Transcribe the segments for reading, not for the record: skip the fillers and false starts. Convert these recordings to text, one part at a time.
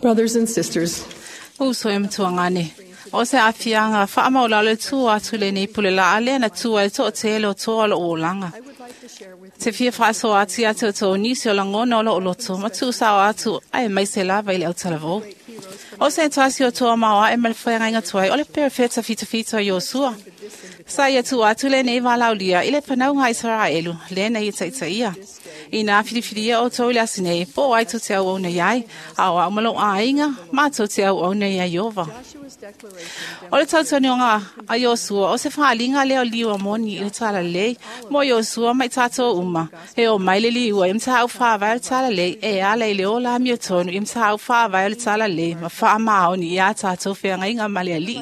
Brothers and sisters, Uso e matuangane. O se afianga wha maulalo e tua atu le nei pule la alea na tua e toa tele o toa lo olanga. I would like to share with Te fia whaaso atu ia te o tō nisi o langona o lo oloto, ma tu sao atu ai mai se lava i le autalavou. O se tasi o toa maua e malfoe ngainga tuai, o le perefeta fita fita o Iosua. Sa ia tu atu le nei valaulia i le whanau Israelu, le nei taita ia. I nā whiriwhiria o tō i le asinei, po ai tō te au au nei ai, a o au malo āinga, mā tō te au au nei ai Iova. Joshua's declaration O le tautanionga a Iosua, o se whaalinga leo liwa moni i le tala lei, mo Iosua mai tātou uma. E o mai le liua, im tāu whāwai o le tala lei, e ala i le o la mio tonu, im tāu whāwai o le tala lei, ma wha maoni i a tātou whenga inga male ali.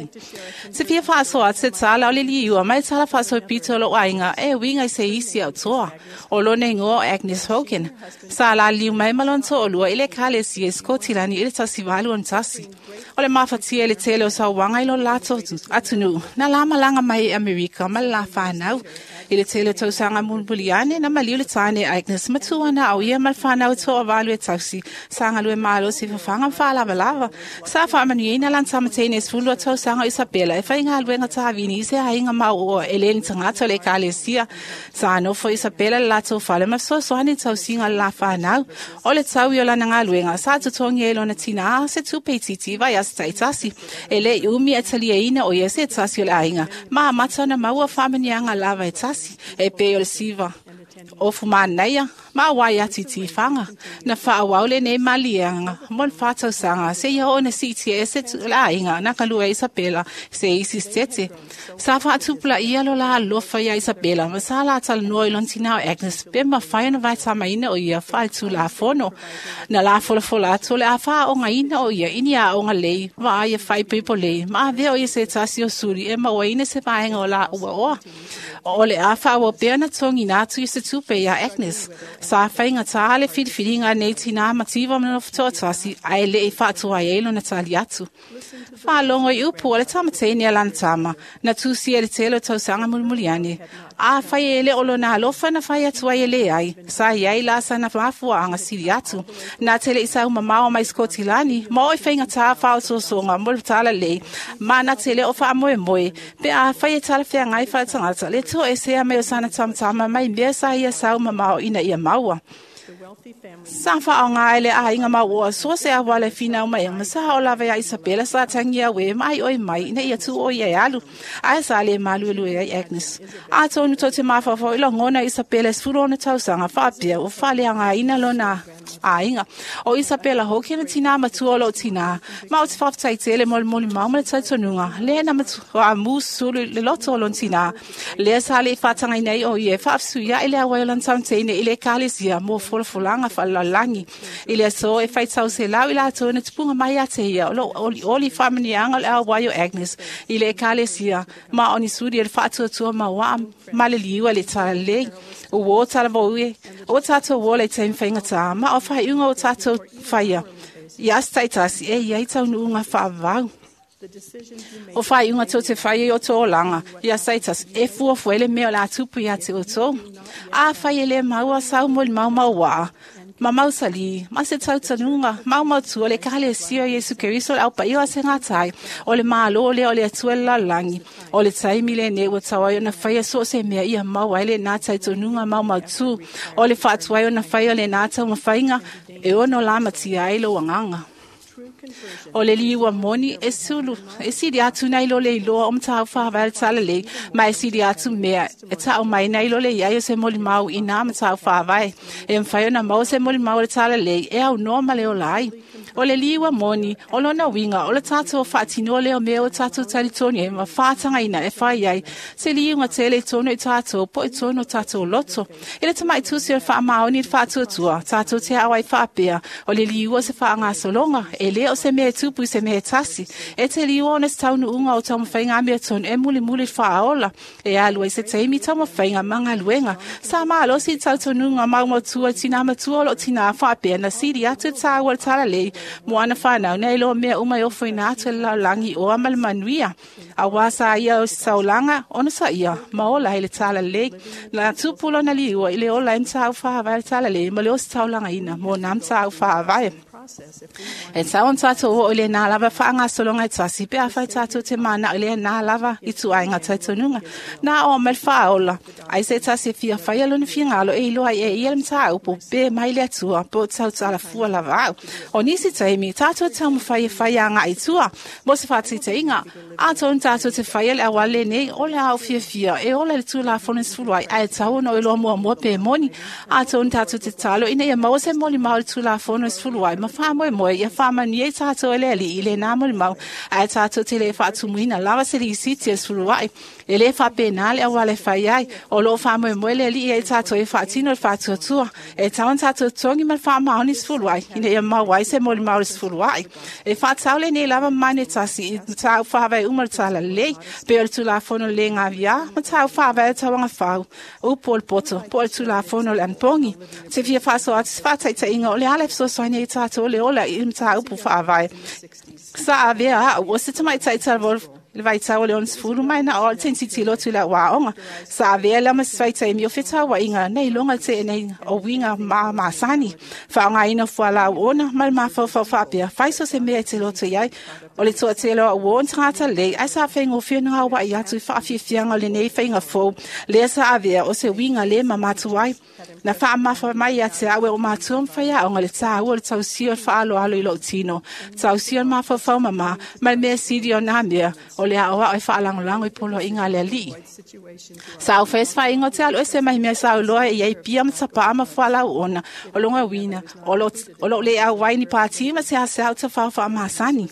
Te fia whaasoa te tala o le liua, mai tala whaaso pito lo ainga, e winga i se isi au toa. O lo nei ngoa o Agnes Hogan. Sa la liu mai malon to olua i le kale si e Skotilani i le tasi valu on tasi. O le mafatia le tele o sa wanga i lo lato atunu. Na la malanga mai i Amerika, ma la whanau. I le tele o tausanga mulmuliane, na maliu le tāne Agnes matua na au ia mal whanau toa valu e tausi. Sanga lue malo si whawhanga whaalava lava. Sa whaamanuina lan tamatene sfulu o tausanga Isabela. E whainga aluenga tāvini i se hainga mau o eleni tangata le kalesia. Sa anofo Isabela le lato whale ma sosoani tausinga le la whanau. O le tau i o lana ngā sa tutongi e lona tina a se tupe titi vai as taitasi. E le i umi e talia ina o ia se tasi o le ainga. Ma mata na maua whamanianga lava e tasi. E pe o le siva. O fumanaia, ma wai ati tiwhanga. Na whaawau le nei malianga, mon whātau sanga, se ia ona siti e se tu la inga, na kalua Isabela, se isi stete. Sa whaatupula ia lo la alofa ia Isabela, ma sa la tala noa i lontina o Agnes, pe ma whai ona vai tamaina o ia whai tu la fono. Na la fola fola atu le a wha o ina o ia, ini a o ngā lei, ma a ia whai pepo lei, ma a vea o ia se tasi o suri, e ma o ina se vaenga o la ua oa. O le a wha o pea na tongi nā tu i se tupe ia Agnes. Sa whainga tā le whiriwhiringa nei tina mativa mana whatoa tasi, ai le i whaatua e elo na tali atu. Whaalongo i upu o le tamatene a lana tama, na tūsi e le tele o tausanga mulmuliane. A whai e le olo nā alofa na whai atu ai e le ai. Sa iai la sa na mafua anga siri atu. Nā tele i sau mamao mai Skotilani, ma oi whainga tā whao sosonga mo le tala lei, ma nā tele o wha moe moe, pe a whai e tala whea ngai whai tangata, le tō e sea me o sana tamtama mai mea sa ia sau mamao ina ia maua. the wealthy family Sa whaonga ele a inga maua, so se a wale whina o mai, ma sa o lawe a Isabela sa tangi a we, mai oi mai, ina ia tu o ia e alu. Ai sa le malu elu e Agnes. A tōnu tō te mawhawhau ilo ngona Isabela sfuru ona tausanga whaapia o whale anga ina lona a inga. O Isabela hoki na tina matua o lo tina. Ma o te whawhtai tele moli moli mau ma le tautonunga. Le na matua a mūsulu le loto o lon tina. Le sa le whatanga nei o ie whaafsu ia ile a wailan taunteine i le kalesia mō folafolaga faalalalagi. I le aso e faitau se lau i latou na tupuga mai ia te ia o loo olioli faamaniaga o le auai o Agnes i le ekalesia ma o ni suli e le faatuatua mauaa ma le liua le talalelei. Ua o talavou e o tatou ola i taimi faigatā ma o faaiuga o tatou faia ia aso taitasi e ia i taunuuga faavavau. the decisions you make O whai unga tō te whai o tō langa, ia saitas, e fua fuele mea o la tupu ia te o tō. A whai ele maua sau mo le mau mau waa, ma mau sali, ma se tau tanunga, mau mau tua le kale sio Yesu Keriso le au pa iwa se ngā tai, o le malo le o le atua le lalangi, o le taimi le ne ua tau ai ona whai so se mea ia mau ai le nā tai tonunga mau mau tu, o le whātua ai ona whai o le nā tau mawhainga, e ono la matia ai lo wanganga. true conversion O le liua moni e sulu, e sili atu nei lo le iloa o matau whawai le tala lei, ma e sili atu mea, e tau mai nei lo le iai o se moli mau i nā matau whawai. E mwhai ona mau se moli mau le tala lei, e au noa ma le o lai. O le liua moni, o lona winga, o le tātou o whaatino leo mea o tātou talitoni e ma whātanga ina e whai ai, se liunga tele tono i tātou, po i tono tātou loto. E le tamai tusi o le whaamaoni le whaatuatua, tātou te awai whaapea, o le liua se whaangasolonga, e le o se mea tupu i se mea tasi. E te liua ona se taunu unga o taumawhainga mea tonu e muli muli whaaola. E alua i se teimi taumawhainga mangaluenga. Sa maalo si tautonunga maumatua tina matua o lo tina whaapea na siri atu tāua le talalei. Mo ana whanau nei lo mea uma i ofo ina atu le laulangi o ama le manuia. A wā sa ia o saulanga, ona sa ia, ma ola i le talalei. Na tupu lona liua i le ola i mtāu whaawai le talalei, ma le o se taulanga ina, mo nā mtāu whaawai. E tau ona tātou oo i lenā lava faagasologa e tasi pe afai tātou te manao i lenā lava ituaiga talitonuga. Na oo mai le faaola ai se tasi e fia faia lona finagalo e iloa ai e ia le mataupu pe mai le Atua po o tautalafua lava au. O nisi taimi tātou taumafai e fai agai i tua mo se faataitaiga. Atonu tātou te faia le auala lenei o le a ou fiafia e ola i le Tulafono e 10 ai, ae tatau ona ou iloa muamua pe moni. Atonu tātou te tatalo ina ia maua se molimau i le Tulafono e 10 ai ma faamoemoe ia faamanuia i tātou e le Alii i lenā molimau, ae tātou te le faatumuina lava se lisiti e le 10 ai. E lē faapena le auala e fai ai. O loo faamoemoe le Alii ai tātou e faatino le faatuatua. E tatau ona tātou totogi ma le faamaoni 10 ai ina ia maua ai se molimau i le 10 ai. E faatatau lenei lava mamanu e tasi i mataupu faavae uma o le Talalelei, pei o le Tulafono le Gaviā, mataupu faavae o le Tauagafau, upu o le poto, po o le Tulafono o le Anapogi. Ou te fia faasoa atu se faataitaiga o le ala e fesoasoani ai tātou le ola i mataupu faavae. Sa avea au o se tamaitai talavou i le vaitau o le 60 mai na o le tilotilo atu i lau aoga. Sa avea lea ma se vaitaimi o fetauaiga nei iloga le teenei o uiga ma masani. Faaaogaina o fualau ona ma le mafaufau faapea, fai so se mea e te loto i ai. O le toatele o au uo o ni tagata lelei, ae sa faigofie ona gauai atu i faafiafiaga o lenei faiga fou lea sa avea o se uiga le mamatu ai. Na faamafa mai ia te au e o matua ma faiaoga le taua o le tausia o le faaaloalo i lou tino, tausia o le mafaufau mamā, ma le mea sili o nā mea, o le aoao e faalagolago i poloaiga a le Alii. Sa ou fai se faaiuga ou te alu ese mai mea sa ou iloa e i ai pia ma tapaa ma fualau ona o lona uiga o lou le auai ni pati ma seasea o tafao faamasani.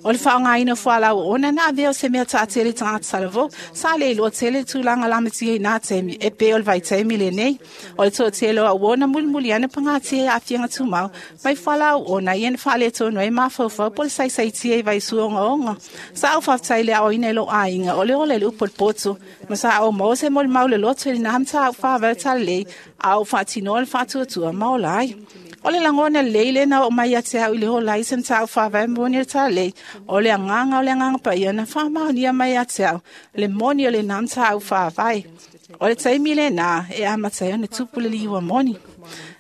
O le faaaogaina o fualau ona na avea o se mea taatele i tagata talavou, sa le iloa tele le tulaga lamatia i nā taimi e pei o le vaitaimi lenei. O le toatele o au ona mulimuli ane pagatia i aafiaga tumau mai fualau ona ia na faaletonu ai mafaufau po o le saisaitia i vaisua ogaoga. Sa ou faafetai i le aoina i lou aiga o le ola i le upu o le poto, ma sa ou maua se molimau le loto i lenā mataupu faavae o Talalelei a ou faatinoa le faatuatua ma ola ai. O le lagona lelei lena oo mai ia te au i le ola ai se mataupu faavae moni o le Talalelei, o le agaga o le Agaga Paia na faamaonia mai ia te au le moni o lenā mataupu faavae. O le taimi lenā e amata ai ona tupu le liua moni.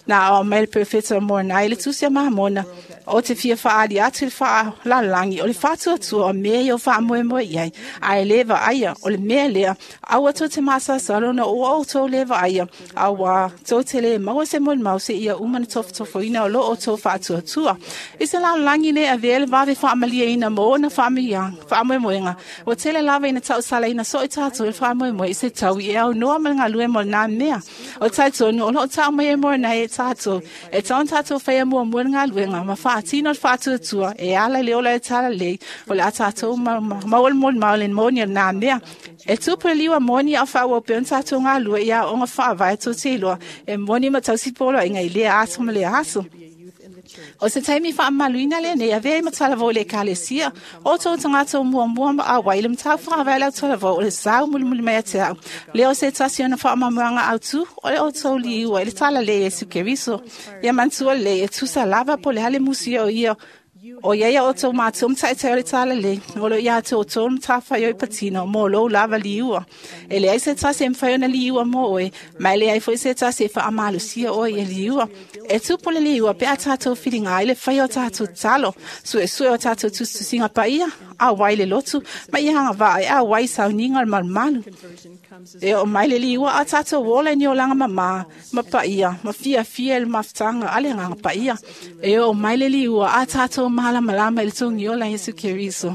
Na ao mai le perofeta o Moronai i le tusi a Mamona, o te fia faaali atu i le faalalagi o le faatuatua o mea ia o faamoemoe i ai, ae le vaaia o le mea lea, aua tou te masalosalo ona ua outou le vaaia, auā tou te le maua se molimau seia uma ona tofotofoina o lo outou faatuatua. I se lalolagi le avea le vave faamalieina mo ona faamoemoega, ua tele lava ina tausalaina soo i tātou i le faamoemoe i se taui e aunoa ma le galue mo lenā mea. O talitonu o loo tau mai e Moronai e tātou, e tatau ona tātou faia muamua le galuega ma faatino le faatuatua e ala i le ola o le Talalelei o le a tātou maua le molimau le moni o lenā mea. E tupu le liua moni a o faaauau pea ona tātou galue i aoga faavae tou te iloa e moni ma tausi poloaiga i lea aso ma lea aso. O se taimi faamamaluina lenei avea ai ma talavou i le Ekalesia, o outou tagata o muamua ma auai i le mataupu faavae o le autalavou o le sau mulimuli mai ia te au. Lea o se tasi ona faamanuiaga autu o le outou liua i le Talalelei Iesu Keriso. Ia manatua lelei e tusa lava po o le a le musia o ia o i ai a outou matua ma taitai o le Talalelei, o lo o ia te outou le matafaioi patino mo lou lava liua. E leai se tasi e mafai ona liua mo oe, ma e leai foi se tasi e faamalosia oe ia liua. E tupu le liua pe a tātou whiringa ai le whai o tātou tatalo, suesue o tātou tusitusiga paia, auai le lotu, ma ia agavaa e auai i sauniga o le malumalu. E oo mai le liua a tātou ola i ni olaga mamā, ma paia, ma fiafia i le mafutaga a le Agaga Paia. E oo mai le liua a tātou malamalama i le togiola a Iesu Keriso.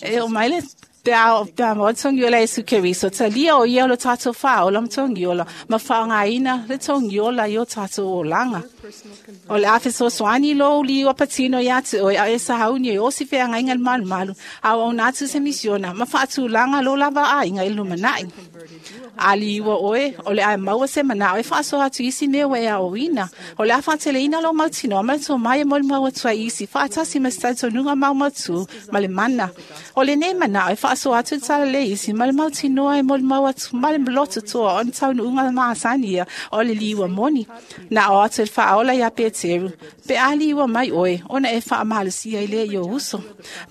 E oo mai le pe a pe a maua le togiola a Iesu Keriso, talia o ia o lo tātou faaola ma togiola, ma faaaogaina le togiola i o tātou olaga. O le a fesoasoani lou liua patino iā te oe, a e sauni e osi feagaiga i le malumalu, a o auauna atu se misiona ma faatulaga lou lava aiga i le lumanai. A liua oe, o le a e maua se manao e faasoa atu i isi mea ua e aoina. O le a faateleina lou mautinoa ma le tomai e molimau atu ai i isi faatasi ma se talitonuga maumautu ma le mana. O lenei manao e faasoa atu i le talalelei isi ma le mautinoa e molimau atu ma le loto toa o ni taunuuga masani ia o le liua moni. Na ao atu e le Faaola iā Peteru, Pe a liua mai oe, ona e faamalosia ai lea i ou uso.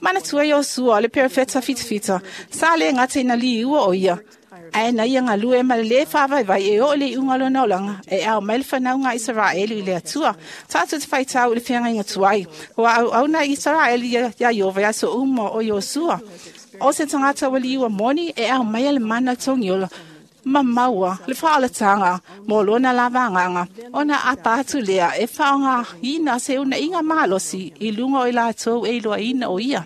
Manatua Iosua, o le perofeta fitafita, sa le gata ina liua o ia, Ae na ia galue ma le lē faavaivai e oo i le iuga o lona olaga e ao mai le fanauga a Isaraelu i le Atua. Tatou te faitau i le feagaiga tuai ua auauna Isaraelu iā Ieova i aso uma o Iosua. O se tagata ua liua moni e ao maia le mana o le togiola ma maua le faaolataga mo lona lava agaga ona apa atu lea e faaaogaina se unaiga malosi i luga o i latou e iloaina o ia.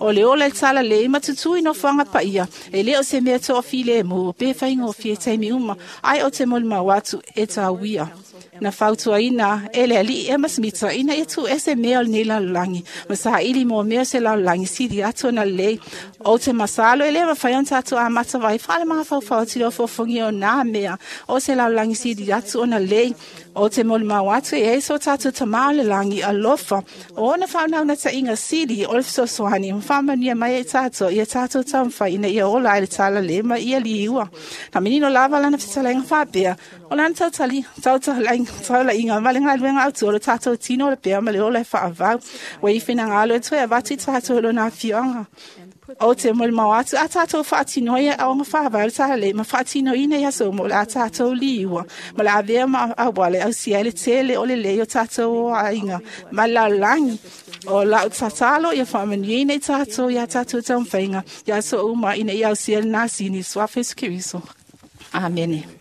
O le ola i le talalelei ma tutū i nofoaga paia, e lē o se mea toafilemu pe faigofie taimi uma, ae o te molimau atu e tauia. Na fautuaina e le alii Ema Smita ina ia tuuese mea o lenei lalolagi ma saili mo mea o se lalolagi sili atu ona lelei. Ou te masalo e lē mafai ona tatou amata vai faalemafaufau atu i le ofoofogia o nā mea o se lalolagi sili atu ona lelei. Ou te molimau atu e ai so tatou Tamā o le lagi alofa o ona faaunaunataiga sili o le fesoasoani ma faamanuia mai ai tatou ia tatou taumafai ina ia ola ai le talalelei ma ia liua. Na manino lava lana fetalaiga faapea, o lana taulaiga ma le galuega autu o le tatou tino o le pea ma le ola e faavau. Ua i finagalo e toe avatu i tatou i lona afioaga. Ou te molimau atu a tatou faatinoa ia aoga faavae o le talalelei ma faatinoina i aso uma o le a tatou liua ma le avea ma auala e ausia ai le tele o lelei o tatou aiga ma le lalolagi. O lau tatalo ia faamanuiaina i tatou iā tatou taumafaiga i aso uma ina ia ausia lena sini i le suafa o Iesu Keriso. Amene.